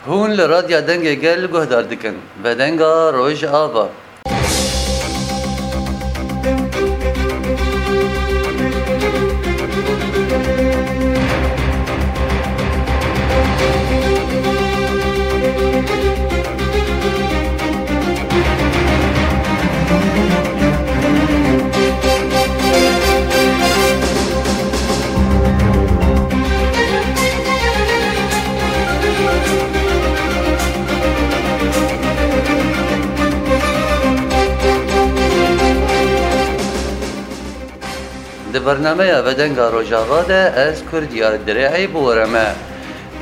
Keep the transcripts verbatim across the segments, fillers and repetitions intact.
Hûn li Radya Dengê Gel guhdar dikin. Vedenga Rojava. Di bernameya Vedenga Rojava de ez Kurdiyar Dirê'î bi we re me.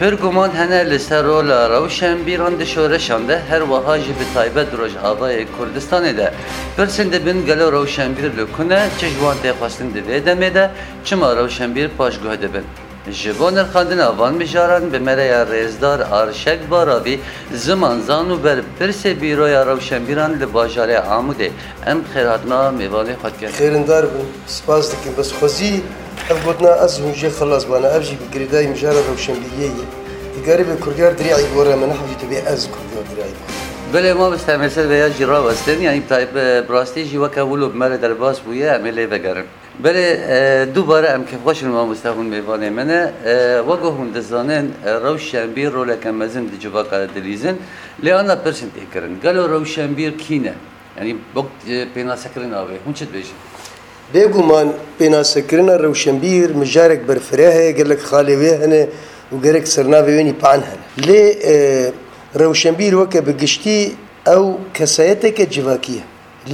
Pir guman hene li ser rola rewşenbîran di şoreşan de, her wiha jî bi taybet Rojavayê Kurdistanê de. Pirsên dibin, gelo rewşenbîr li ku ne, çi ji wan tê xwestin di vê demê de, çima rewşenbîr paşguh dibin? Ji bo nirxandina van mijaran bi me re ya rêzdar Arşek Baravî, zimanzan û berpirsê Bîroya Rewşenbîran li bajarê Amûdê. Em xêrhatina mêvanê xwe dikin. Xêrindar bin, spas dikim. Bes xwezî ev gotina ez hûn jê xilas bana, ev jî bi girêdayî mijara rewşenbîriyê ye. Dikarî bê Kurdiyar Dirê'î gore min, hewî tu bê ez Kurdiyar Dirê'î gore. Belê, mamoste, em ê ser vêya jî rawestin, yanî bi taybet, bi rastî jî weke wilo bi me re derbas bûye, em ê lê vegerin. Belê, e, dubare em kêfxweş in, mamoste, hûn mêvanê me ne. E, wek ku hûn dizanin, e, rewşenbîr roleke mezin di civaka de dilîzin. Lê ana pirsên tê kirin. Gelo rewşenbîr kî ne? Yanî, wek, e, pênasekirina wê, hûn çi dibêjin? Bêguman pênasekirina rewşenbîr mijarek berfireh e, gelek xalê wê hene û gerek sernavê wê nîpan hene. Lê, e, rewşenbîr weke bi giştî ew kesayeteke civakî ye.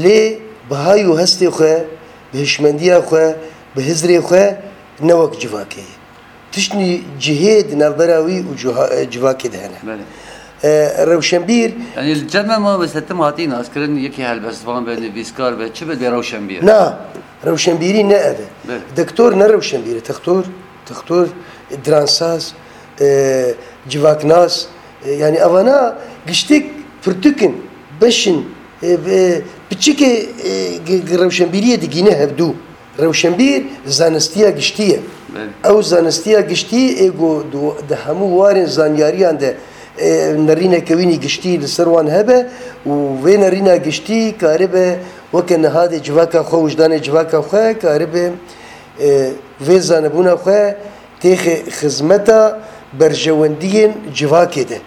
Lê bi hay û hestê xwe, bi hişmendiya xwe, bi hizrê xwe ne wek civakê ye. Tiştnî cihê di navbera wî û ciha-, civakê de hene. Belê. E, rewşenbîr Yanî li cem me, mamoste, tim hatî naskirin, yekî helbestvan be, nivîskar be, çi be, dê rewşenbîr. Na, rewşenbîrî ne ev e. Belê. Doktor ne rewşenbîr e. Textor, textor, e, dransaz, e, civaknas, e, yanî evana giştik pirtûk in, beş in, e, e, piçikê, e, gi-, gi-, rewşenbîriyê digîne hevdû. Rewşenbîr zanistiya giştî ye. Belê. Ew zanistiya giştî ê ku di, di hemû warên zanyariyan de, e, nerîneke wînî giştî li ser wan hebe û vê nerîna giştî karibe weke nihadê civaka xwe, wijdanê civaka xwe karibe, e, vê zanebûna xwe têxe xizmeta berjewendiyên civakê de.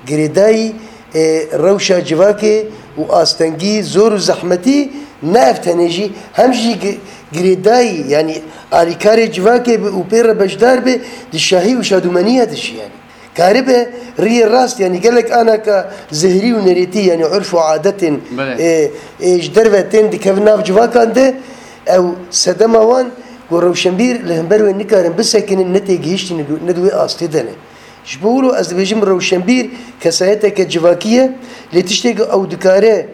Girêdayî, e, rewşa civakê û astengî, zor û zehmetî ne ev tenê jî, hem jî gi-, girêdayî, yanî alîkarê civakê bi û pê re beşdar bi, di şahî û şadûmeniya de jî, yanî. Karibe riyê rast, yanî gelek anaka zehrî û nerêtî, yanî urf û adetên, Belê. e, e, ji derve tên dikevin nav civakan de, ew sedema wan ku rewşenbîr li hember wê nikarin bisekinin, ne têgihiştî ne di, ne di wê astê de ne. Ji bo wilo ez dibêjim rewşenbîr kesayeteke civakî ye, lê tiştê ku ew dikare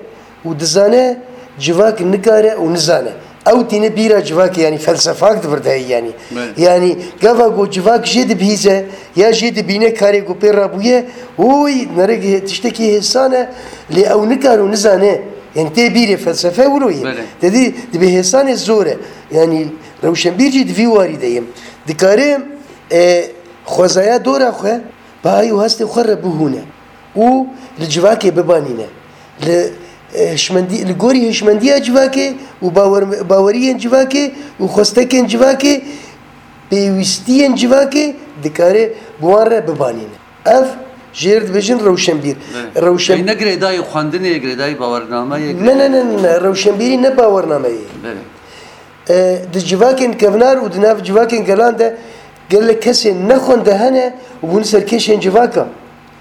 û dizane, civak nikare û nizane. Ew tîne bîra civakê, yanî felsefak di vir de heye, yanî. Belê. Yanî gava ku civak jê dibihîze ya jê dibîne karê ku pê rabûye, oy, nerek tiştekî hêsan e, lê ew nikare û nizane. Yanî tê bîrê, felsefe wilo ye. Belê. Te dî dibê hêsanê zor e. Yanî rewşenbîr jî di vî warî de ye. Dikare, e, xwezaya dora xwe, bi hay û hestê xwe re bihûne û li civakê bibanîne. Li, e, hişmendî-, li gorî hişmendiya civakê û bawer-, baweriyên civakê û xwestekên civakê, pêwîstiyên civakê dikare bi wan re bibanîne. Ev jêr dibêjin rewşenbîr. Belê. Rewşen- Ew ne girêdayî xwendinê, girêdayî bawernameyê, Ne, ne, ne, ne, rewşenbîrî ne bawernameyê. Belê. E, di civakên kevnar û di nav civakên gelan de gelek kesên nexwende hene û bûne serkêşên civaka.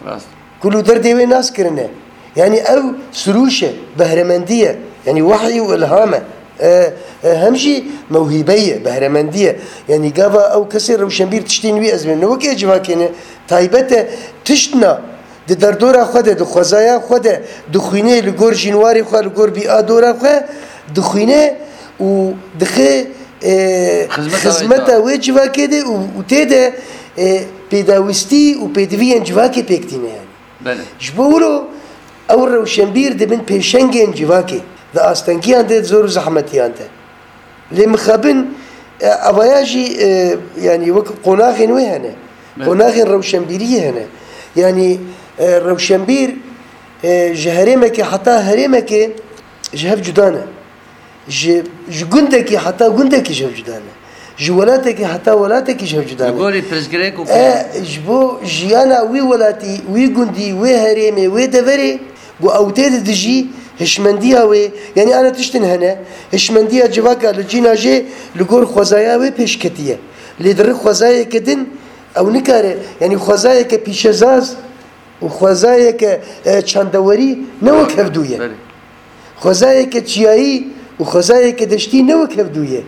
Rast. Ku li derdê wê nas kirine. Yanî ew sirûş e, behremendî ye. Yanî wehy û ilham e. E, e, hem jî mewhîbe ye, behremendî ye. Yanî gava ew kesê rewşenbîr tiştên wî ez bêm. Ne wekî civakê ne, taybet e, tiştna di derdora xwe de, di xwezaya xwe de dixwîne, li gor jînwarê xwe, li gor bîa dora xwe dixwîne û dixe, e, Xizmeta wê xizmeta civakê. wê civakê de û, û tê de, e, pêdawîstî û pêdiviyên civakê pêk tîne yani. Belê. Ji bo wilo ew rewşenbîr dibin pêşengên civakê, di astengiyan de, di zor û zehmetiyan de. Lê mixabin, e, avaya jî, e, yanî wek qonaxên wê hene. Evet. Qonaxên rewşenbîriyê hene. Yanî E, rewşenbîr, e, ji herêmekê heta herêmekê ji hev cuda ne. Ji, ji gundekî heta gundekî ji hev cuda ne. Ji welatekî heta welatekî ji hev cuda Li ne. Gorî pirsgirêk û E, ji bo jiyana wî welatî, wî gundî, wê herêmê, wê deverê, ku ew tê di dijî hişmendiya wê, yanî ana tiştin hene, hişmendiya civaka li cîna jê li gor xwezaya wê pêş ketiye. Lê di rih xwezayeke din ew nikare, yanî xwezayeke pîşezaz û xwezayeke, e, çandewerî ne wek hevdû ye. Belê. Xwezayeke çiyayî û xwezayeke deştî ne wek hevdû ye.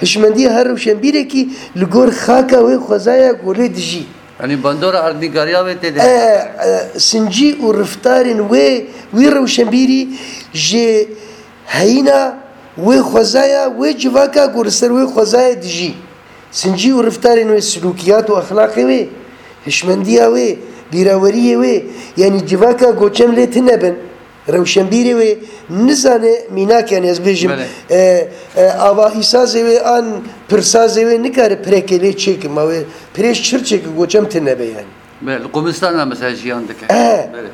Hişmendiya her rewşenbîrekî li gor xaka wê xwezaya ku lê dijî. Yanî bandora erdnîgariya wê tê de. E, e, sincî û riftarên wê, wî rewşenbîrî ji heyîna wê xwezaya, wê civaka ku li ser wê xwezayê dijî. Sincî û riftarên wê, silûkiyat û exlaqê wê, hişmendiya wê, bîraweriyê wê, yanî civaka goçem lê tune bin, rewşenbîrê wê nizane mînak, yanî ez bêjim, Belê. e, e, ava îsazê wê an pirsazê wê nikare pirekê lê çêke, ma wê pirê ji çir çêke, goçem tune be yanî. Belê, li qumistana mesela jiyan dike. E, Belê.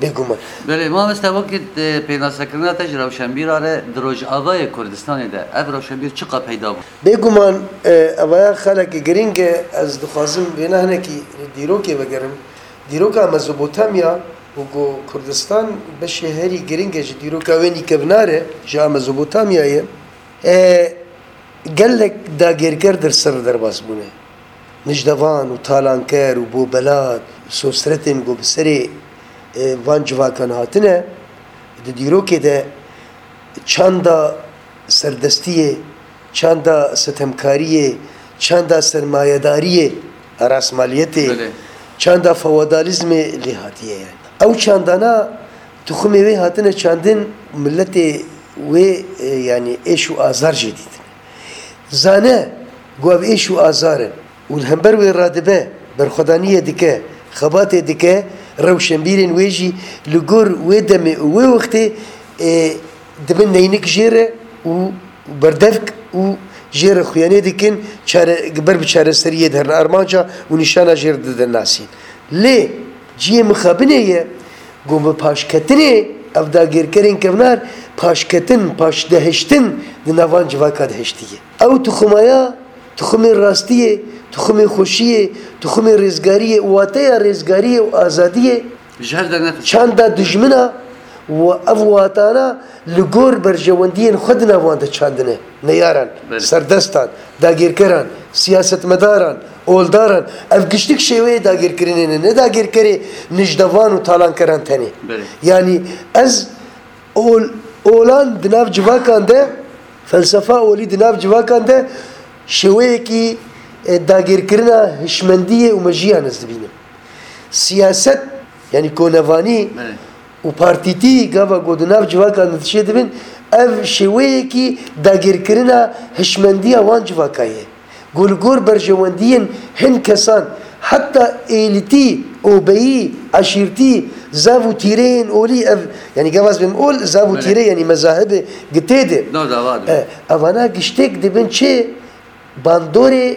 Bêguman. Belê, mamoste, wekî, e, pênasekirina te ji rewşenbîra re di Rojavayê Kurdistanê de ev rewşenbîr çiqa peyda bû? Bêguman, e, evaya xelekê giring e, ez dixwazim vêna hinekî dîrokê vegerim. Dîroka Mezopotamya û ku Kurdistan beşê herî giring e ji dîroka wê nîkevnar e, ji a Mezopotamyayê. E, gelek dagirker di ser derbas bûne. Nijdevan û talanker û bobelat, sosretên ku bi serê, e, van civakan hatine, di dîrokê de çanda serdestiyê, çanda sitemkariyê, çanda sermayedariyê, rasmaliyetê, Belê. çanda feodalîzmê lê hatiye yani. Ew çandana tuxumê wê hatine çandin, miletê wê, e, yani êş û azar jê dîtin. Zane ku ev êş û azar in û li hember wê radibe, berxwedaniyê dike, xebatê dike, rewşenbîrên wê jî li gor wê demê û wê wextê, ê, dibin neynik jê re û berdevk û jê re xuyanê dikin, çare, ber bi çareseriyê diherin armanca û nîşana jê re didin nasîn. Lê cihê mixabinê ye ku bi paşketinê ev dagirkerên kevnar paşketin, paşdehiştin di nav van civaka de hiştiye. Ew tuxumaya, tuxumê rastiyê, tuxumê xweşiyê, tuxumê rêzgariyê, wateya rêzgariyê û azadiyê Ji hev dernetin. çanda dijmina û ev watana li gor berjewendiyên xwe di nav wan de çandine. Neyaran, Belê. serdestan, dagirkeran, siyasetmedaran, oldaran, ev giştik şêweyê dagirkirinê ne, ne dagirkerê nijdevan û talankeran tenê. Belê. Yanî ez ol, olan di nav civakan de, felsefa olî di nav civakan de şêweyekî, e, dagirkirina hişmendiyê û mejiyê ez dibînim. Siyaset, yanî konevanî Belê. û partîtî gava ku di nav civakan de dişê dibin, ev şêweyekî dagirkirina hişmendiya wan civaka ye. Ku li gor berjewendiyên hin kesan, heta êlîtî, obeyî, eşîrtî, zav û tîreyên olî ev, yanî gava ez bêm ol, zav û Belê. tîre, yanî mezahibê gitê de. No, dava de. E, evana giştek dibin çi? Bandorê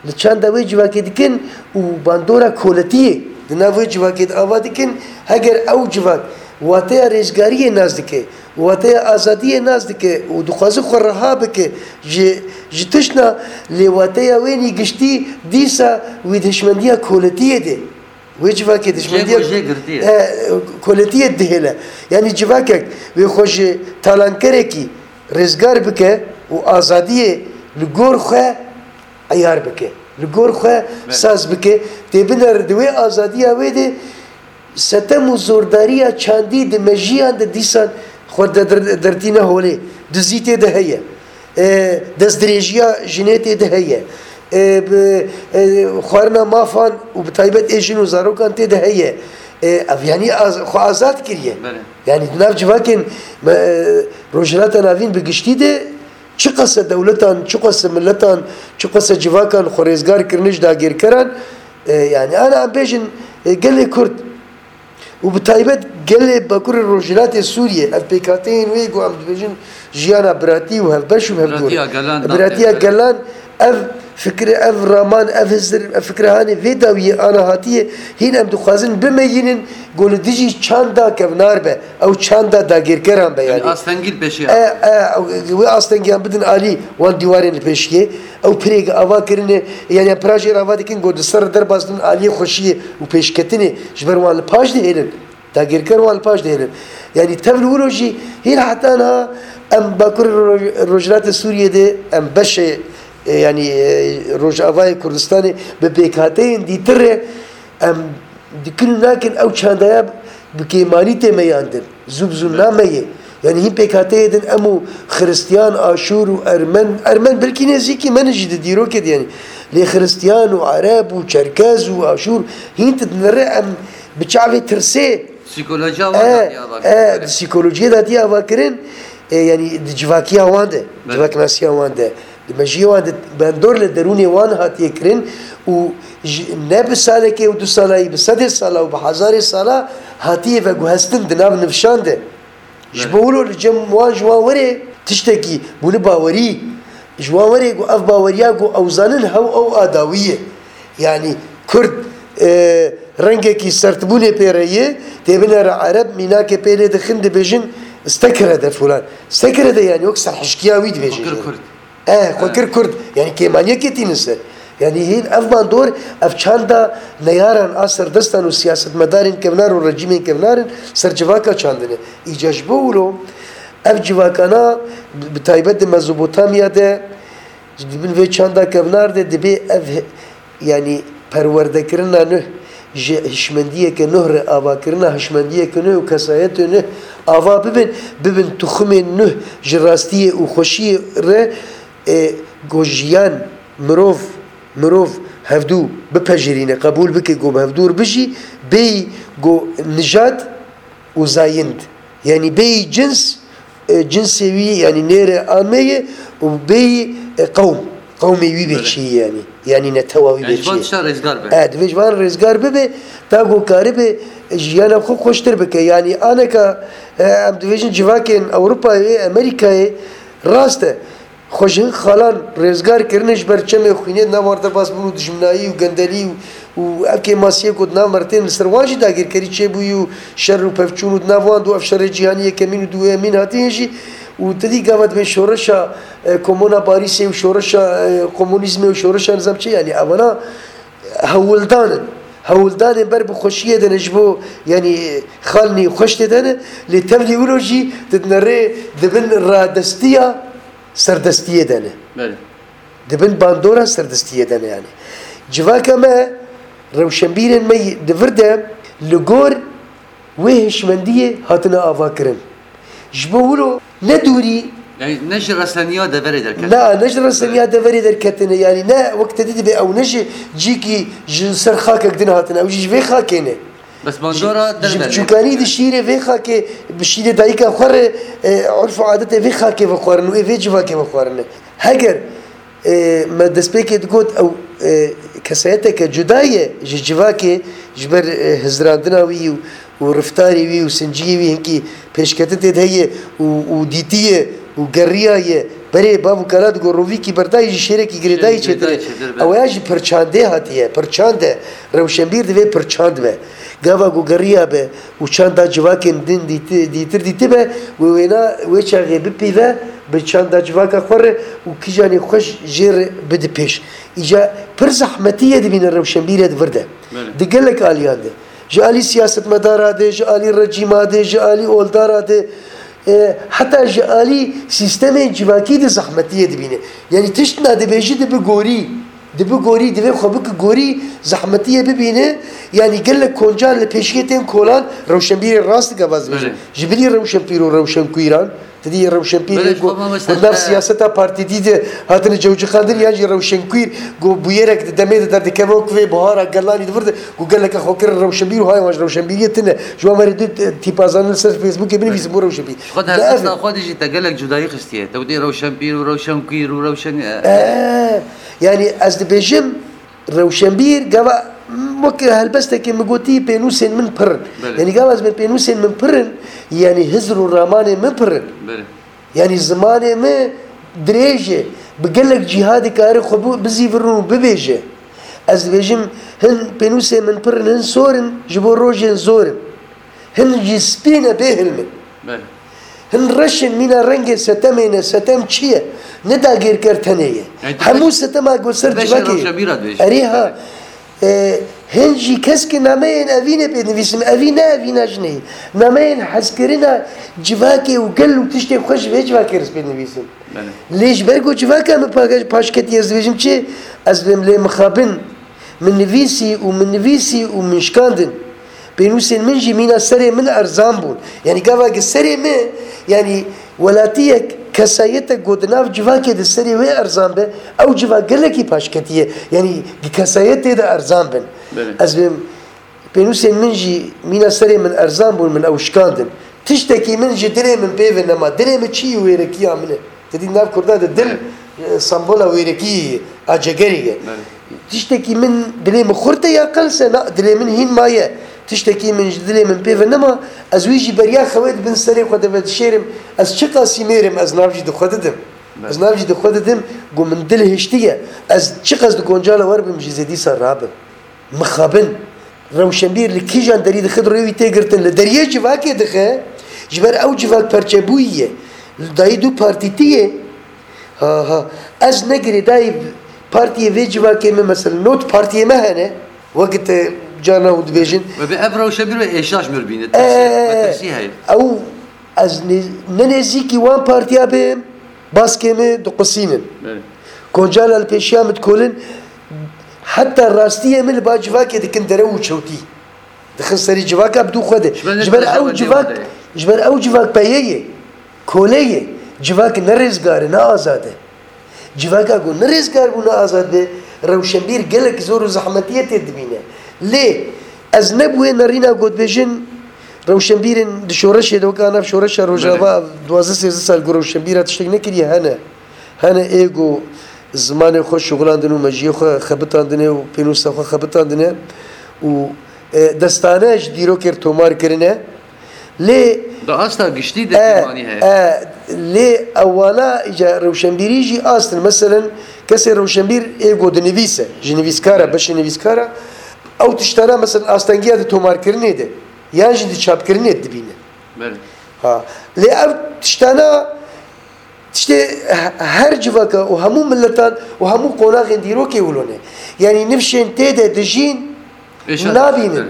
li çanda wê civakê dikin û bandora koletiyê di nav wê civakê de ava dikin, heger ew civak wateya rêzgariyê nas dike, wateya azadiyê nas dike û dixwaze xwe reha bike ji, ji tiştna, lê wateya wê nî giştî dîsa wî di hişmendiya koletiyê de. Wê civakê Jê dijmendiya ku jê girtiye. e, koletiyê dihêle. Yanî civakek wê xwe ji talankerekî rêzgar bike û azadiyê li gor xwe eyar bike. Li gor xwe Belê. saz bike. Tê binere di wê azadiya wê de setem û zordariya çandî di mejiyan de dîsan xwe de der-, dertîne holê. Dizî tê de heye. E, destdirêjiya jinê tê de heye. E, bi, e, xwarina mafan û bi taybet ê jin û zarokan tê de heye. E, ev yanî az, xwe azad kiriye. Belê. Yanî di nav civakên me, e, Rojhilata Navîn bi giştî de çiqase dewletan, çiqase miletan, çiqase civakan xwe rêzgar kirine ji dagirkeran, e, yanî ana em bêjin, e, gelê Kurd û bi taybet gelê Bakurê Rojhilatê Sûriyê, ev pêkhateyên wê ku em dibêjin jiyana biratî û hevbeş û hevdûr. Biratiya gelan, Biratiya dagirker. gelan, ev Fikre ev raman, ev hizir, ev fikre hanê vê dawiyê ana hatiye, hîn em dixwazin bimeyînin, ku li dijî çanda kevnar be, ew çanda dagirkeran be yani. Astengî li pêşiya. E, e, wê astengiyan bidin alî wan dîwarên li pêşiyê. Ew pirêk ava kirine, yani em pira jê re ava dikin, ku di ser derbas bin aliyê xweşiyê û pêşketinê ji ber wan li paş dihêlin. Dagirker wan li paş dihêlin. Yani tev li wilo jî hîn heta niha em Bakur Roj-, Rojhilatê Sûriyê de em beşê, e, yani, e, Rojavayê Kurdistanê bi pêkhateyên dîtir re em dikin û nakin ew çandaya bi kêmanî tê meyandin. Zû bi zû nameyê. Yani hîn pêkhateyê din em û Xiristiyan, Aşûr û Ermen, Ermen belkî nêzîkî me ne jî di dîrokê de yani. Lê Xiristiyan û Ereb û Çerkez û Aşûr hîn ti dinere em bi çavê tirsê. Psîkolojiya wan e, datiye ava e, kirin. Di psîkolojiyê datiye ava kirin, e, yani di civakiya wan de, belê, civaknasiya wan de, di mejiyê wan de, bandor li derûnê wan hatiye kirin û ji, ne bi salekê û du salayî, bi sedê sala û bi hezarê sala hatiye veguhestin di nav nifşan de. Ji, belê, bo wilo li cem wan ji wan were tiştekî bûne bawerî. Ji wan were ku ev baweriya ku ew zanin hew ew a dawî ye. Yani Kurd, e, rengekî sertbûnê pê re ye, tê binere Ereb, mînakê pê lê dixin dibêjin stekere de filan. Stekere de yani wek serhişkiya wî dibêjin. Xwe kir Kurd. E, xwe kir Kurd. Yani kêmaniyekê tînin ser. Yani hîn ev bandor, ev çanda neyaran a serdestan û siyasetmedarên kevnar û rejîmên kevnar in ser civaka çandine. Îca ji bo wilo ev civakana bi, bi taybet di Mezopotamya de, di bin vê çanda kevnar de dibê ev he-, yani perwerdekirina nuh ji hişmendiyeke nuh re, avakirina hişmendiyeke nuh û kesayetê nuh ava bibin, bibin tuxumên nuh ji rastiyê û xweşiyê re, e, ku jiyan, mirov, mirov hevdû bipejirîne, qebûl bike ku bi hevdû re bijî, bêyî ku nijad û zayind, yanî bêyî cins, e, cinsê wî, yanî nêre ameye û bêyî, e, qewm, qewmê wî bê, belê, çi ye yanî, yanî netewa wî, yanî bê ji van çi ye? Tişta rêzgar be. E, divê ji van rêzgar bibe, ta ku karibe, e, jiyana xwe xweştir bike. Yanî aneka, e, em dibêjin civakên Ewropayê, Amerîkayê, rast e. Xwe ji hin xalan rêzgar kirine ji ber çemê xwînê di nav wan derbas bûn û dijminayî û gendelî û, û ev kêmasiyê ku di nav me re tên li ser wan jî dagirkerî çêbûyî û şer û pevçûn û di nav wan de û ev şerê cîhanî yekemîn û duyemîn hatiye jî û te dî gava dibên şoreşa, e, Komona Parîsê û şoreşa, e, komunîzmê û şoreşa nizam çi, yanî evana hewldan in. Hewldanên ber bi xweşiyê de ne ji bo, yanî xalnî xweş tê de ne, lê tevlî wilo jî tu dinerê di bin radestiya serdestiyê de ne. Belê. Di bin bandora serdestiyê de ne yani. Civaka me, rewşenbîrên me di vir de li gor wê hişmendiyê hatine avakirin. Ji bo wilo ne dûrî. Yani ne ji reseniya deverê derketine. Na, ne ji reseniya deverê derketine. Yani ne wek te dî dibe ew ne ji cîkî ji ser xakek din hatine. Ew jî ji vê xakê ne. Bes bandora derve. Ji biçûkanî di şîrê vê xakê, bi şîrê dayika xwe re, e, urf û adetê vê xakê vexwerin û ê vê civakê vexwerin. Heger, e, me destpêkê digot ew, e, kesayeteke cuda ye ji civakê, ji ber, e, hizirandina wî û, û reftarê wî û sinciyê wî hinkî pêşketin tê de heye û, û dîtiye û geriyaye. Berê bav û kala digo rovîkî berdayî ji şêrekî girêdayî çêtir e. Ew ya jî pirçandê hatiye. Pirçand e. Rewşenbîr divê pirçand be. Gava ku geriya be û çanda civakên din dîti-, dîtir dîtibe, wê wêna wê çaxê bipîve bi çanda civaka xwe re û kijanê xweş jê re bide pêş. Îca pir zehmetî ye dibîne rewşenbîrê di vir de. Belê. Di gelek aliyan de. Ji alî siyasetmedara de, ji alî rejîma de, ji alî oldara de, e, heta ji alî sîstemên civakî de zehmetiyê dibîne. Yanî tişt na dibêjî dibi gorî. Dibi gorî, divê xwe biki gorî, zehmetiyê bibîne. Yanî gelek koncan li pêşiyê tên kolan, rewşenbîrê rast dike vaz dibêjin. Belê. Ji bilî rewşenpîr û rewşenkuîran, Te dî rewşenpîrê ku, ku nav siyaseta partîdî de hatine cewcixandin, yan jî rewşenkuîr ku bûyerek di demê de derdikeve wek vê buhara gelanî di vir de ku geleke xwe kirin rewşenbîr û hay wan ji rewşenbîriyê tune. Ji wan merê du, e, tîpa zanin li ser Facebookê binivîsin bû rewşenbîr. Ji xwe di helbesta xwe de jî te gelek cudayî xistiye. Te witî rewşenpîr û rewşenkuîr û rewşen-, e, e, yanî ez dibêjim, Rewşenbîr, gava, wek helbestekê min gotî, pênûsên min pir in. Belê. Yanî gava ez bêjim pênûsên min pir in, yanî hizr û ramanên min pir in. Belê. Yanî zimanê min dirêj e, bi gelek cîha dikare xwe bu-, bizîvirin û bibêje. Ez dibêjim, hin pênûsên min pir in, hin sor in, ji bo rojên zor in. Hin jî spî ne bê hilmin. Belê. Hin reş in, mîna rengê setemê ne, setem çi ye? Ne dagirker tenê ye. Yani tu Hemû beş-, setema ku ser tu beşê civakê ye. Rewşenbîra dibêjî. Erê ha. Belê. E, hin jî keskê nameyên evînê pê nivîsim. Evî ne, evîna jinê ye. Nameyên hezkirina civakê û gel û tiştê xwe ji vê civakê re pê nivîsim. Belê. Lê ji ber ku civaka min pa-, paşketî, ez dibêjim çi? Ez dibêm lê mixabin. Min nivîsî û min nivîsî û min şikandin. Pênûsên min jî mîna serê min erzan bûn. Yanî gava gi serê min, yanî welatiyek, kesayetek ku di nav civakê de serê wê erzan be, ew civak gelekî paşketî ye. Yanî gi kesayetê de erzan bin. Belê. Ez bêm, pênûsên min jî mîna serê min erzan bûn, min ew şikandin. Tiştekî min ji dilê min pê ve nema. Dilê min çi wêrekiya min e. Te dî nav Kurda de dil, Evet. e, sembola wêrekî ye, a cegerê ye. Evet. Tiştekî min dilê min xurt e ya qels e, na, dilê min hîn maye. Tiştekî min ji dilê min pê ve nema, ez wî jî beriya xewê di bin serê xwe de vedişêrim. Ez çiqas sîmêrim, ez nav jî di xwe didim. Evet. Ez nav jî di xwe didim, ku min dil hiştiye. Ez çiqas di koncala wer bim jî zê dîsa rabim. Mixabin. Rewşenbîr li kîjan derî dixe, di rêwî tê girtin. Li deriyê civakê dixe, ji ber ew civak perçebûyî ye. Li dayî du partîtî ye. Ha, ha. Ez ne girêdayî partiyê vê civakê me, mesela, not partiyê me hene. Wekî te carna hûn dibêjin. Ve bi ev rewşenbîr ve êşa ji mir bîne. Ee, Tirsî, ve tirsî heye. Ew, ez ne, ne nêzîkî wan partiya bêm. Baskê me diqusînin. Belê. Koncana li pêşiya min dikolin, heta rastiyê min li ba civakê dikin derew û çewtî. Dixin serî civaka bi dû xwe de. Ji ber ne Ji ber ew civak, ji ber ew civak peyê ye, kole ye. Civak ne rêzgar e, ne azad e. Civaka ku ne rêzgar bû, ne azad be, rewşenbîr gelek zor û zehmetiyê tê dibîne. Lê ez ne bi wê nerîna ku dibêjin, rewşenbîrên di şoreşê de, weke nav şoreşa Rojava, Belê. duwazdeh sêzdeh sal ku rewşenbîra tiştek nekiriye, hene. Hene ê ku zimanê xwe şuxilandin û mejiyê xwe xebitandine û pênûsa xwe xebitandine û, e, destane ji dîrokê re tomar kirine. Lê Di asta giştî de e, kêmanî heye. e, lê ewana îca rewşenbîrî jî astin. Meselen, kesê rewşenbîr ê ku dinivîse, ji nivîskara, beşê nivîskara, ew tiştana, meselen, astengiya di tomarkirinê de, yan jî di çapkirinê dibîne. Belê. Ha. Lê ev tiştana tiştê he-, her civaka û hemû miletan û hemû qonaxên dîrokê wilo ne. Yanî nifşên tê de dijîn Êşa nabînin.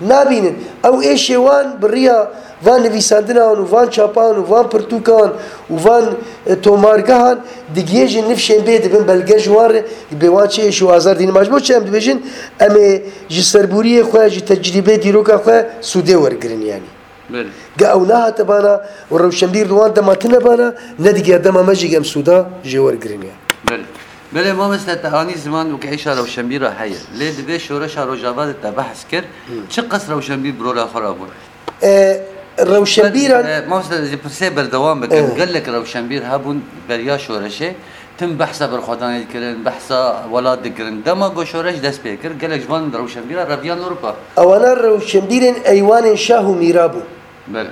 Nabînin. Ew êşê wan bi riya van nivîsandinan û van çapan û van pirtûkan û van, e, tomargehan digihêjin nifşên bê dibin belge ji wan re, bê wan çi êş û azar dînin. Ma ji bo çi em dibêjin, em ê ji serbûriyê xwe, ji tecrîbê dîroka xwe sûdê wergirin yanî. Belê. Ge ew nehate bana û rewşenbîr li wan dema tine bana, nedigiya dema me jî ge em sûda jê wergirin ya. Belê. Belê mamoste, te anî ziman û ke êşa rewşenbîra heye. Lê di vê şoreşa Rojava de te behs kir, Hı. çiqas rewşenbîr bi rola xwe rabûn? E, rewşenbîran E, mamoste, ez ê pirsê berdewam bikim. Evet. Gelek rewşenbîr hebûn beriya şoreşê. Tim behsa berxwedanê dikirin, behsa welat dikirin. Dema ku şoreş dest pê kir, gelek ji van rewşenbîra reviyan Ewropa. Ewana rewşenbîrên eywanên şah û mîra bûn. Belê.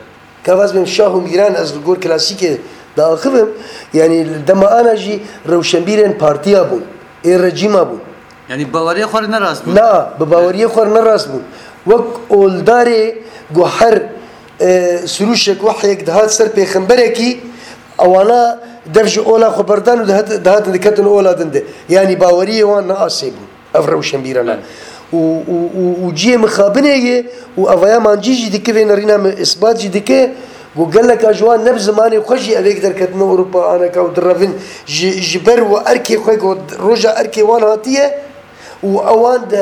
Ka vaz bêm şah û mîran, ez li gor klasîkê diaxivim, yanî li dema ana jî rewşenbîrên partiya bûn, ê rejîma bûn. Yanî baweriya xwe re ne rast bûn. Na, bi baweriyê xwe re ne rast bûn. Wek oldarê ku her, e, sirûşek, wehyek dihat ser pêxemberekî, ewana dev ji ola xwe berdan û dihat-, dihatin diketin ola din de. Yanî baweriyê wan ne asê bûn. Ev rewşenbîran e. Evet. Û, û, û, û cihê mixabinê ye û evaya mancî jî dike vê nerîna min îsbat jî dike ku geleka ji wan ne bi zimanê xwe jî evêk derketine Ewropa aneka û direvin ji, ji ber û erkê xwe ku roja erkê wan hatiye û ewan di,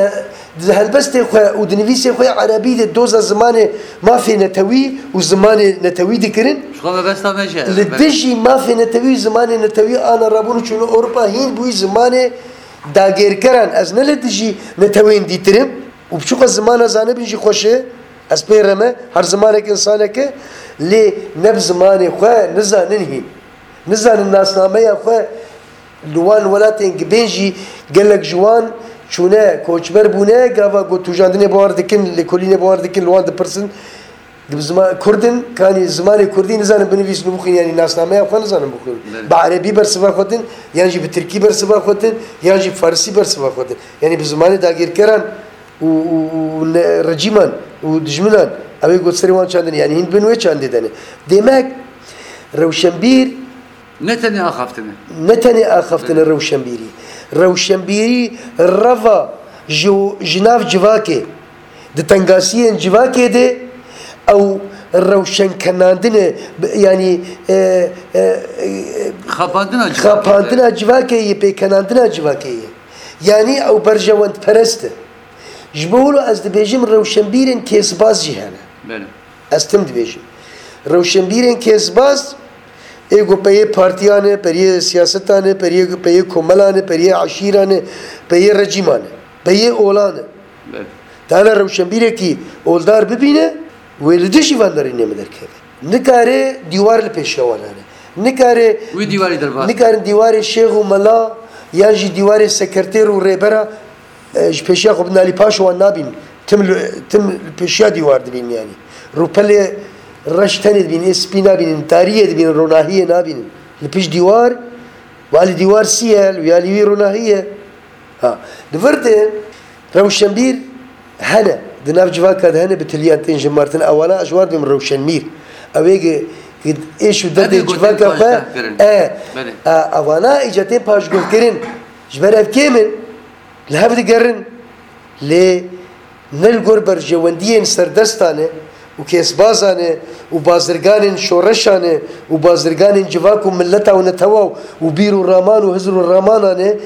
di helbestê xwe û di nivîsê xwe ya erebî de doza zimanê mafê netewî û zimanê netewî dikirin. Ji xwe mebesta me jî heye. Li dijî mafê netewî û zimanê netewî ana rabûn û çûne Ewropa hîn bûyî zimanê dagirkeran. Ez ne li dijî netewên dîtir im û biçûka zimana zanibin jî xweş e. Ez pê re me, her zimanek însanek e, lê ne bi zimanê xwe nizanin hîn. Nizanin nasnameya xwe li wan welatên gibên jî gelek ji wan çûne, koçber bûne, gava ku tûjandinê bi wan re dikin, lêkolînê bi wan re dikin, li wan dipirsin, Bi zima-, Kurd in, kanî zimanê Kurdî nizanin binivîsin û bixwînin, yanî nasnameya xwe nizanin bixwînin. Belê. Bi Erebî bersiva xwe din, yan jî bi Tirkî bersiva xwe din, yan jî Farsî bersiva xwe din. Yanî bi zimanê dagirkeran û, û, û ne, rejîman û dijminan, ew ê got serê wan çandin, yanî hîn bin wê çandê de ne. Demek rewşenbîr Ne tenê axaftin e. Ne tenê axaftin e rewşenbîrî. Rewşenbîrî reva ji, ji nav civakê, di tengasiyên civakê de ew rewşenkenandin e, b-, yanî, e, e, e, Xapandina civakê xapandina civakê ye, pêkenandina civakê ye. Yanî ew berjewendperest e. Ji bo wilo ez dibêjim rewşenbîrên kêsbaz jî hene. Belê. Ez tim dibêjim. Rewşenbîrên kêsbaz, ê ku peyê partiyan e, periyê siyasetan e, periyê, peyê komelan e, periyê eşîran e, peyê rejîman e, peyê olan e. Belê. Dana rewşenbîrekî oldar bibîne, wê li dijî van derî nême derkeve. Nikare dîwar li pêşiya wan hene. Nikare Wî dîwarî derbas nikarin dîwarê şêx û mela yan jî dîwarê sekreter û rêbera E, ji pêşiya xwe bin alî paş wan nabîn. Tim li, tim li pêşiya dîwar dibîn yanî. Rûpelê reş tenê dibîn, ê spî nabînin, tariyê dibînin, ronahiyê nabînin. Li pişt dîwar, walî dîwar sî ye, wî alî wî ronahî ye. Ha. Di vir de rewşenbîr hene. Di nav civaka de hene bi tiliyan tên jin martin. Ewana ez war bim rewşenmîr. Ew ê ge, ge êş û derdê civaka xwe. E, e, ewana îca tên paşguhkirin. Ji ber ev kêm in. Li hev digerin, lê ne li gor berjewendiyên serdestan e û kêsbazan e û bazirganên şoreşan e û bazirganên civak û mileta û netewa û bîr û raman û hizr û ramanan e,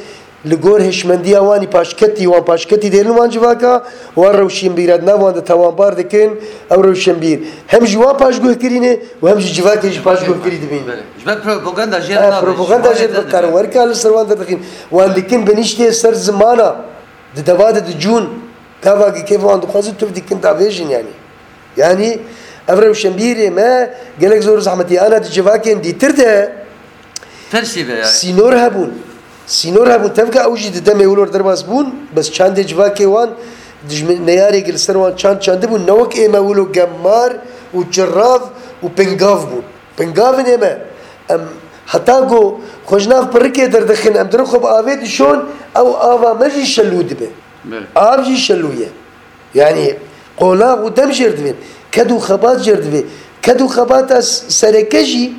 li gor hişmendiya wan î paşketî, wan paşketî dêrin wan civaka, wan rewşenbîra di nav wan de tawanbar dikin, ew rewşenbîr hem ji wan paşguhkirî ne û hem ji civakê jî paşguhkirî dibîn. Belê. Ji ber propaganda jê re nabe, propaganda jê re dikare, werka li ser wan derdixîn. Wan dikin biniştê ser zimana. Di deva de dicûn, gava ki kêf wan dixwazin tu dikin davêjin yanî. Yanî ev rewşenbîrê me gelek zor û zehmetî ana di civakên dîtir de Tersî be yanî. Sînor hebûn. Sînor hebûn. Tevka ew jî di demê wilo derbas bûn, bes çandê civakê wan dijmin neyarê li ser wan çand çandibûn. Ne wek ême wilo gemar û çirav û pingav bûn. Pingavin ême. Em heta ku xwe ji nav pirikê derdixin, em dirin xwe bi avê dişon, ew ava me jî şelû dibe. Belê. Av jî şelû ye. Yanî qonax û dem jêr divên. Ked û xebat jêr divê. Ked û xebata s-, sereke jî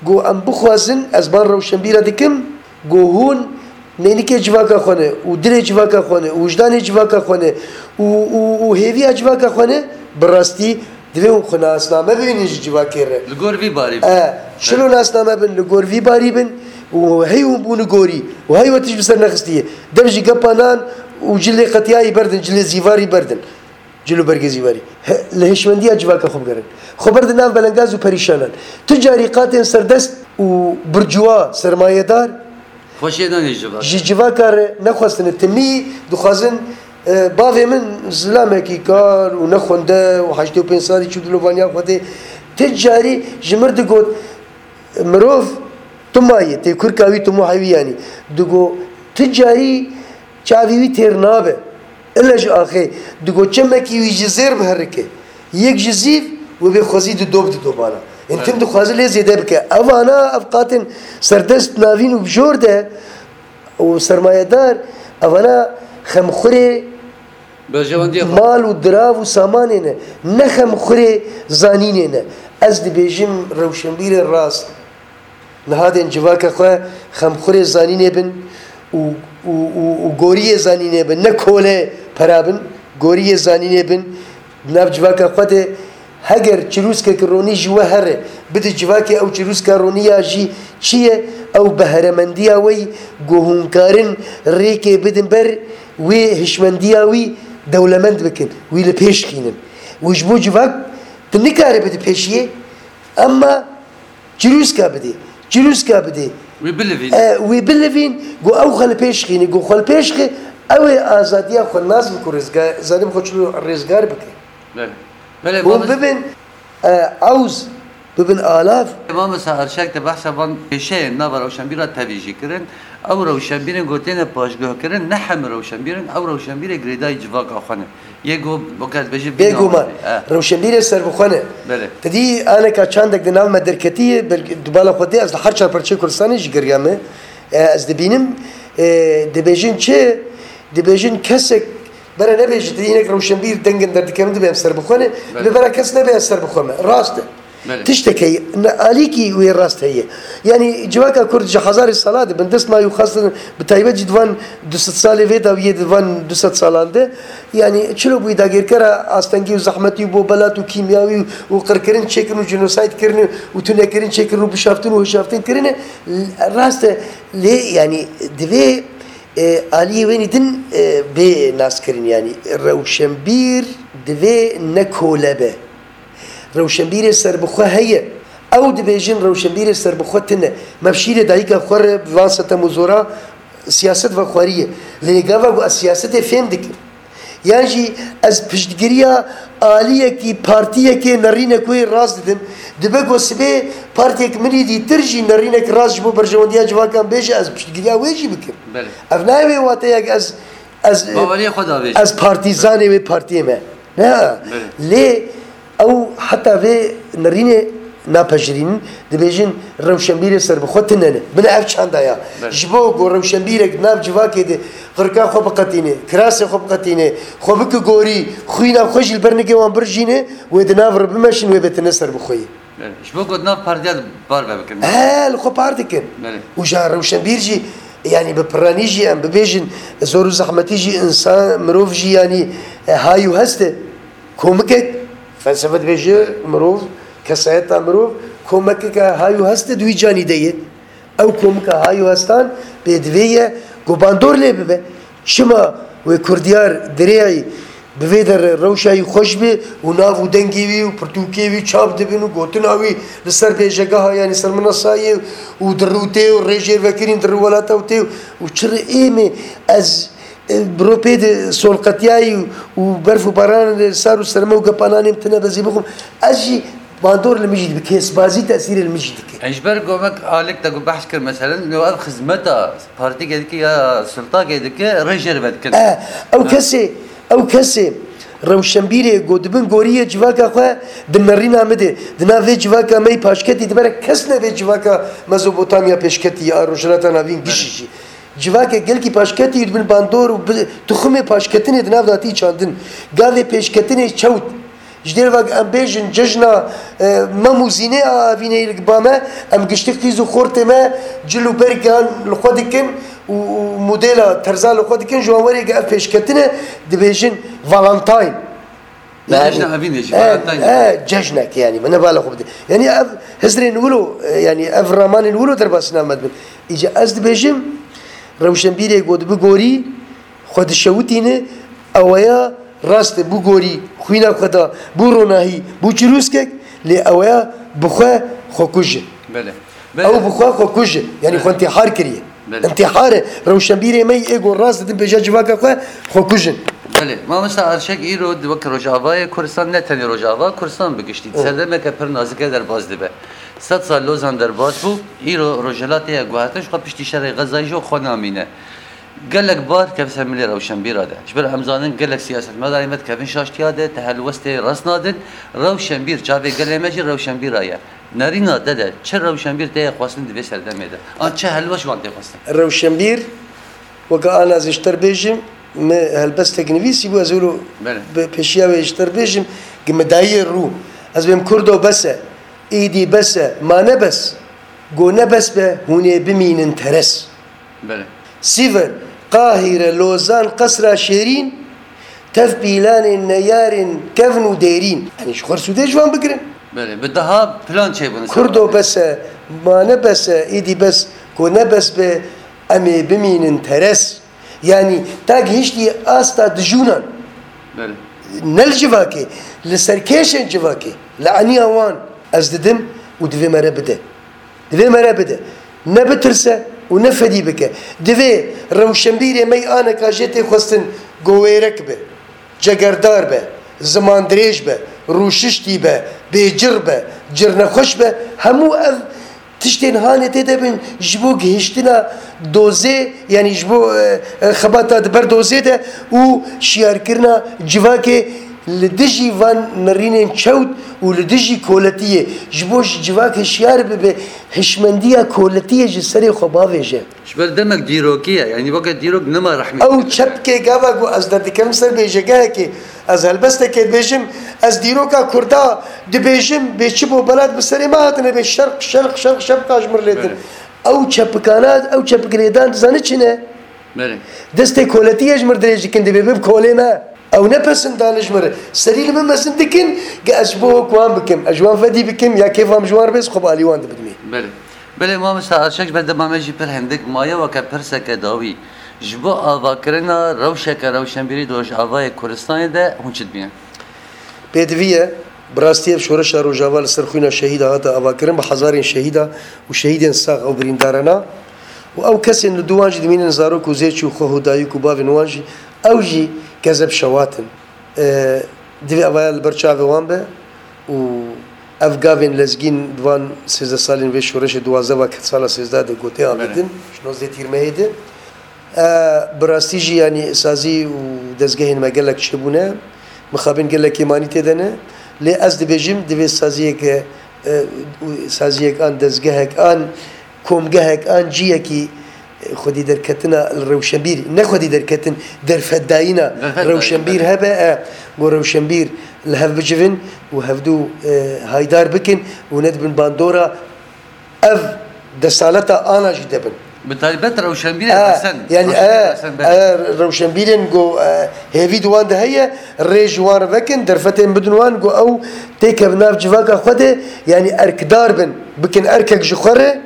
ku em bixwazin, ez ban rewşenbîra dikim, ku hûn nênikê civaka xwe ne û dilê civaka xwe ne û wijdanê civaka xwe ne û, û, û hêviya civaka xwe ne, bi rastî divê hûn xwe nasname bibînin ji civakê re. Li gor vî barî bin. E, çilo nasname bin, li gor vî barî bin û hey hûn bûne gorî û hey we tişt bi ser nexistiye. Dev ji gepa nan û cilê qetiyayî berdin, cilê zîvarî berdin. Cil û bergê zîvarî. He, li hişmendiya civaka xwe bigerin. Xwe berdin nav belengaz û perîşanan. Tu carî qatên serdest û burcuwa, sermayedar, Xweşiyê danê ji civaka. Ji civaka re nexwestine. Timî dixwazin, e, bavê min zilamekî kar û nexwende û heştê û pênc salî çû dilovaniya xwe tê. Ti carî ji mir digot, mirov tuma ye, tê kurka wî, timoha wî yanî. Digot, ti carî çavî wî têr nabe. Ile ji axê, digot, çemekî wî ji zêr biherike. Yek ji zîv, wê bê xwezî di dob di dobana. Ên tim dixwaze lê zêde bike. Evana, ev qatên serdest navîn û bijor de û sermayedar, evana xemxurê Berjewendiya xwe. Mal û dirav û samanê ne. Ne xemxurê zanînê ne. Ez dibêjim rewşenbîrê rast. Niha dên civaka xwe xemxurê zanînê bin û, û, û, û goriyê zanînê bin. Ne kole pera bin, goriyê zanînê bin. Di nav civaka xwe de heger çirûskek ronî ji we here, bide civakê ew çirûska ronî ya jî çi ye, ew beheremendiya we yî ku hûn karin rêkê bidin ber wê hişmendiya wî dewlemend bikin, wî li pêş xînin. Û ji bo civak tu nikare bide pêşiyê, emma çirûska bidê, çirûska bidê. Wî bilivîn. E, wî bilivîn, ku ew xwe li pêş xîne, ku xwe li pêş xî, ew ê azadiya xwe nas bike û rêzgar, zanim xwe çilo rêzgar bike. Belê. Belê, Hûn babiz- bibin, e, ewz, bibin alav. Mamosta Erşek de behsa van pêşeyên nava rewşenbîra tevî jî kirin. Ew rewşenbîrên ku têne paşguhkirin ne hemî rewşenbîr in, ew rewşenbîrê girêdayî civaka xwe ne. Yê ku weke ez bêjim vî Bêguman, navê. Eh, rewşenbîrê serbixwe ne. Belê. Te dî aneka çandek di nav me derketiye, belkî di bala xwe tê, ez li her çar parçeyê Kurdistanê jî geriya me. E, ez dibînim, e, dibêjin çi? Dibêjin kesek bere nebêje, tu hinek rewşenbîr dengin derdikevin dibe em serbixwe ne, Belê. Li bera kes nebe ez serbixwe me. Rast e. Belê. Tiştek heye, ne alîkî wê rast heye. Yanî civaka Kurd ji hezarê sala de bindest ma û xastin bi taybet jî di van du sed salê vê de û yê di van du sed salan de, yanî çilo bûyî dagirkera astengî û zehmetî û bobelat û kîmyawî û qirkirin çêkirin û jenosayd kirin û tunekirin çêkirin û bişaftin û hişaftin kirine, rast e. Lê yanî divê, e, aliyê wênî din, e, bê naskirin, yanî rewşenbîr divê ne kole be. Rewşenbîrê serbixwe heye. Ew dibêjin rewşenbîrê serbixwe tune. Me bi şîrê dayika xwe re bi van setem û zora siyaset vexwariye. Lê gava ku ez siyasetê fêm dikim. Yan jî ez piştgiriya aliyekî, partiyekê nerînek wê rast didim. Dibe ku sibê partiyek min îdî tir jî nerînek rast ji bo berjewendiya civakan bêje, ez piştgiriya wê jî bikim. Belê. Ev nayê wê wateyek ez, ez, Baweriyê xwe davêjin. Ez partîzanê wê partiyê me. Ne. Belê. Lê ew heta vê nerînê napejirînin, dibêjin rewşenbîrê serbixwe tune ne. Bine ev çanda ya. Belê. Ji bo ku rewşenbîrek di nav civakê de qirka xwe biqetîne, kirasê xwe biqetîne, xwe bike gorî, xwîna xwe jî li ber nigê wan birjîne, wê di nav re bimeşin, wê bêtine serbixweyî. Belê. Ji bo ku di nav partiya de bar ve bikin. He, li xwe par dikin. Belê. Û ja rewşenbîr jî, yanî bi piranî jî em bibêjin, zor û zehmetî jî însan, mirov jî yanî, e, hay û hest e. Komikek, felsefe dibêje mirov, kesayeta mirov, komikeke hay û hest e di wî canî de ye. Ew komika hay û hestan pê divê ye ku bandor lê bibe. Çima wê kurdiyar dirêyî bi vê derê rewşa wî xweş be û nav û dengê wî û pirtûkê wî çap dibin û gotina wî li ser bêjegeha, yanî ser minasayê û dirûtê û rêjêrvekirîn di rûwelata û tê û çi rê ê me ez, e, bi ro pê de solqetiyayî û berf û baran li sar û serme û gepanan êm tine bezî bixwim. Ez jî bandor li min jî dibe, kêsbazî tesîrê li min jî dike. Ji ber gomek alek te ku behs kir, meselen, no ev xizmeta partîkê dike ya sultakê dike, rê jê re vedikin. E, ew kesê, ew kesê rewşenbîrê ku dibin goriyê civaka xwe di nerîna min de, di nav vê civaka me yî paşketî dibere, kes nebe civaka Mezopotamya pêşketî ya Rojhilata Navîn gişî jî. Civakê gelkî paşketî û dibin bandor û bi, tuxumê paşketinê di nav de hatî çandin. Gavê pêşketinê çewt. Ji dêr ve em bêjin cejna, e, mem û zînê a evînê li ba me, em giştî qîz û xortê me cil û bergan li xwe dikin û, û modela terza li xwe dikin, ji wan werê ge ev pêşketine dibêjin Valentine. Cejna evînê jî, e, Valentine. E, cejnek yanî, min ne bala xwe bide. Yanî ev hizrên wilo, e, yanî ev ramanên wilo derbasî nav me dibin. Îca ez dibêjim, rewşenbîrê ku dibi gorî, xwe dişewitîne, eweya Rast e, bû gorî, xwîna xwe da, bû ronahî, bû çirûskek, lê eweya bi xwe xwekuj e. Belê. Ew bi xwe xwekuj e. Yanî xwe intîhar kiriye. Belê. Intîhar e. Rewşenbîrê me yê êgo rast didin pêşiya civaka xwe xwekuj in. Belê. Mamosta Erşek, îro di wek Rojavayê Kurdistan, ne tenê Rojava, Kurdistan bi giştî, di serdemeke pir nazik e derbas dibe. Sed sal Lozan derbas bû, îro Rojhilat tê guhertin, ji xwe piştî şerê Xezayê jî xwe namîne. Gelek bar kevse milê rewşenbîra de. Ji ber em zanin gelek siyasetmedarên me dikevin şaştiya de, te helwestê rast nadin. Rewşenbîr, çavê gelê me jî rewşenbîra ye. Nerîna te de çi rewşenbîr tê xwestin di vê serdemê de? An çi helwest ji wan tê xwestin? Rewşenbîr, weke ana ez ji te re bêjim, me helbestek nivîsî bû, ez wilo Belê. Bi pêşiya wê ji te re bêjim, ki me dayî rû. Ez bêm Kurdo bes e, êdî bes e, ma ne bes. Go ne bes be, hûn ê bimînin teres. Belê. Sîver, Qahîre, Lozan, Qesra Şêrîn, tev pîlanên neyarên kevn û dêrîn. Yanî ji xwe sûdê ji wan bigirin. Belê, bi daha plan çêbûn. Kurdo bes e, ma ne bes e, êdî bes, ku ne bes be, em ê bimînin teres. Yanî ta gihiştî asta dijûnan. Belê. Ne li civakê, li serkêşên civakê, li eniya wan ez didim û divê me re bide. Divê me re bide. Ne bitirse û ne fedî bike. Divê rewşenbîrê me yî aneka jê tê xwestin govêrek be, cegerdar be, zimandirêj be, rûşiştî be, bêcir be, cirnexweş be, hemû ev tiştên hanê tê de bin ji bo gihiştina dozê, yanî ji bo, e, e, xebata di ber dozê de û şiyarkirina civakê li dijî van nirînên çewt û li dijî koletiyê, ji bo ji civakê şiyar bibe, hişmendiya koletiyê ji serê xwe bavêje. Ji ber demek dîrokî ye, yanî weke dîrok nema rehmê Ew çepkê gava ku ez derdikem ser bêjegehekê, ez helbestekê dibêjim, ez dîroka Kurda dibêjim, bê çi bo belat bi serê me hatine bê şerq, şerq, şerq, şepka ji mir lê din. Belê. Ew çepikana, ew çepik lêdan dizane çi ne? Belê. Destê koletiyê ji mir dirêj dikin, dibê bib kolê me. Ew ne pesin dane ji mir. Serî li min mezin dikin, ge ez ji bo ku wan bikim, ez ji wan fedî bikim, ya kêfa min ji wan re bê, xwe bi alî wan dibidimê. Belê. Belê, mamosta Arşek, ji ber dema me jî pir hindik maye weke pirseke dawî. Ji bo avakirina rewşeke rewşenbîrî di Rojavayê Kurdistanê de hûn çi dibînin? Pêdivî ye, bi rastî ev şoreşa Rojava li ser xwîna şehîda hate avakirin, bi hezarên şehîda û şehîdên sax ew birîndarana û ew kesên li dû wan jî dimînin zarok û zêç û xweh û dayik û bavên wan jî, ew jî kezeb şewat in. E, divê evaya li ber çavê wan be û ev gavên lezgîn di van sêzdeh salên vê şoreşê duwazdeh va ke sala sêzdeh de gotê avêtin, ji nozdeh tîrmehê de. E, bi rastî jî, yanî, sazî û dezgehên me gelek çêbûne, mixabin gelekê manî tê de ne. Lê ez dibêjim, divê saziyeke, e, û saziyek an dezgehek an komgehek an ciyekî, e, xwedî derketina li rewşenbîr, ne xwedî derketin, derfetdayîna Derfetdayîn, rewşenbîr belê. hebe, e, ku rewşenbîr li hev bicivin û hevdû, e, haydar bikin û nedibin bandora ev desaleta ana jî debin. Bi taybet rewşenbîrê E, resen, yanî, rewşenbîrê e, resen, belê. e, rewşenbîrên ku, e, hêvî di wan de heye, rê ji wan re vekin, derfetên bidin wan ku ew têkevin nav civaka xwe de, yanî erkdar bin, bikin erkek ji xwe re,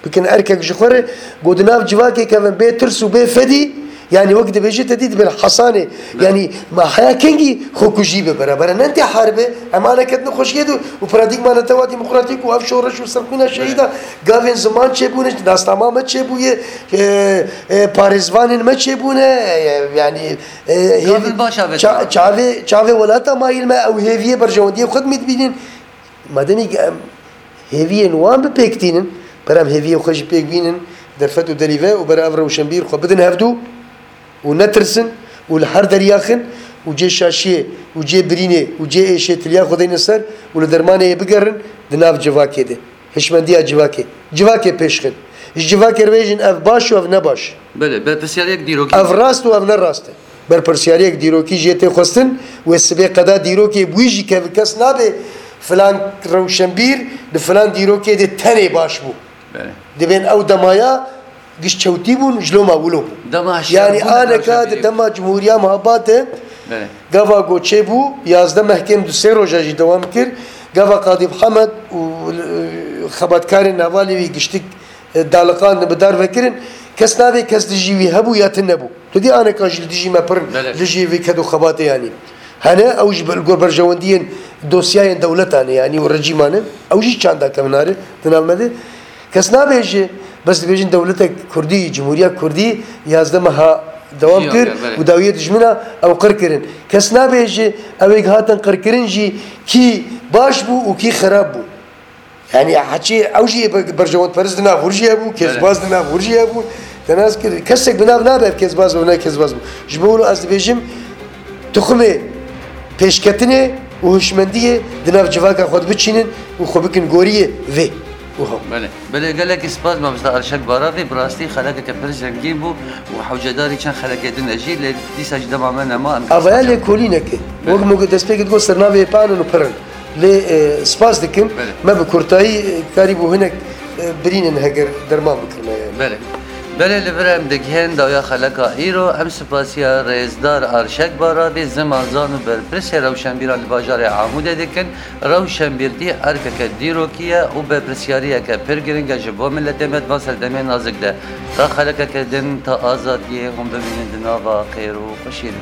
bikin erkek ji xwe re, ku di nav civakê kevin bê tirs û bê fedî, yanî wek dibêje te dî dibin hesanê, Belê. yanî ma heya kengî xwekujî be bera bera. Nentê haribe, em aneket nexweşiyê de û paradîgma netewa demokratîk û ev şoreş û serxwîna şehîda gavên ziman çêbûne, nasnama me çêbûye, e, e, parêzvanên me çêbûne, e, yanî, e, Gavin hêvî-, baş avêt ça-, çavê, çavê welata mayîl me ew hêviyê berjewendiyê xwe dimî dibînin. Mademî em hêviyên wan bi pêk tînin, ber em hêviyên xwe jî pêk bînin, derfet û derî ve û ber ev rewşenbîr xwe bidin hevdû û netirsin û li her deryaxin û cê şaşiyê û cê birînê û cê êşê tiliya xwe deyne ser û li dermanê yê bigerin di nav civakê de. Hişmendiya civakê. Civakê pêşxin. Ji civakê re bêjin ev baş û ev ne baş. Belê, berpirsiyariyek dîrokî. Ev rast û ev ne rast e. Berpirsiyariyek dîrokî jê tê xwestin, wê sibê qeda dîrokê bi wî jî keve kes nabe filan rewşenbîr di filan dîrokê de tenê baş bû. Belê. Dibên ew demaya giş çewtî bûn, ji loma wilo bûn. Dema hişyar Yanî bûn, aneka hişyar di bûn. dema Cumhuriya Mehabate Belê. gava ku çêbû, yazdeh mehkên du sê roja jî dewam kir. Gava Qadî Mihemed û, e, xebatkarên hevalê wî giştik e, daliqandin, bi dar vekirin, kes nabê kes dijî wî hebû ya tune bû. Tu dî aneka jî li dijî me pir Belê. dijî vî ked û xebatê yanî. Hene ew jî li gor berjewendiyên dosyayên dewletan e yanî û rejîman e. Ew jî çanda kevin nare di nav me de. Kes nabêje, bes dibêjin dewletek Kurdî, Cumhuriya Kurdî yazdeh meha dewam Jiyan kir kir, belê. û dawiyê dijmina ew qir kirin. Kes nabêje, ew ê hatin qirkirin jî kî baş bû û kî xerab bû. Yanî heçî ew jî yê be-, berjewendperist di nav wir jî hebû, Belê. kezbaz di nav wir jî hebû. Te nas kir, kesek bi nav nabe ev kezbaz û ne kezbaz bû. Ji bo wilo ez dibêjim, tuxumê pêşketinê û hişmendiyê di nav civaka xwe de biçînin û xwe bikin goriyê vê û hew. Belê. Belê, gelekî spas mamosta Arşak Baravê, bi rastî xelekeke pir zengîn bû û hewcedarî çend xelekê din e jî, lê dîsa ji dema me nema, em Avaya lêkolîneke. Belê. Wek min got destpêkê digot sernavê pan in û pir in. Lê, e, spas dikim. Belê. Me bi kurtayî, e, karîbû hinek, e, birînin heger derman bikirine yani. Belê. Belê, li vir em digihên dawiya xeleka îro, em spasiya rêzdar Arşek Baravî, zimanzan û berpirsê rewşenbîran li bajarê Amûdê dikin. Rewşenbîrtî erkeke dîrokî ye û berpirsyariyeke pir giring e ji bo miletê me di van serdemê nazik de. Ta xelekeke din, ta azadiyê, hûn bimînin di nava xêr û xweşiyê de.